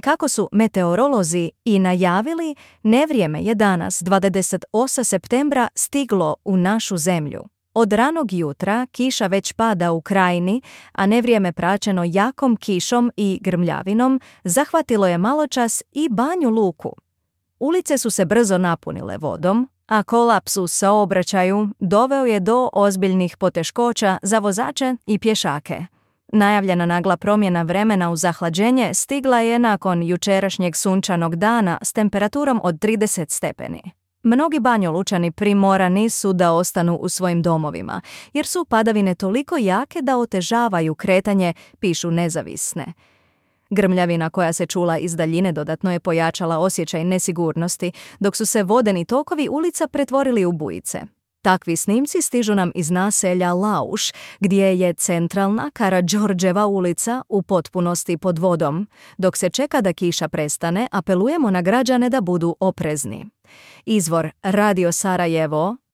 Kako su meteorolozi i najavili, nevrijeme je danas, 28. septembra, stiglo u našu zemlju. Od ranog jutra kiša već pada u krajini, a nevrijeme praćeno jakom kišom i grmljavinom zahvatilo je maločas i Banju Luku. Ulice su se brzo napunile vodom, a kolaps u saobraćaju doveo je do ozbiljnih poteškoća za vozače i pješake. Najavljena nagla promjena vremena u zahlađenje stigla je nakon jučerašnjeg sunčanog dana s temperaturom od 30 stepeni. Mnogi Banjolučani primorani su da ostanu u svojim domovima, jer su padavine toliko jake da otežavaju kretanje, pišu Nezavisne. Grmljavina koja se čula iz daljine dodatno je pojačala osjećaj nesigurnosti, dok su se vodeni tokovi ulica pretvorili u bujice. Takvi snimci stižu nam iz naselja Lauš, gdje je centralna Karađorđeva ulica u potpunosti pod vodom. Dok se čeka da kiša prestane, apelujemo na građane da budu oprezni. Izvor Radio Sarajevo,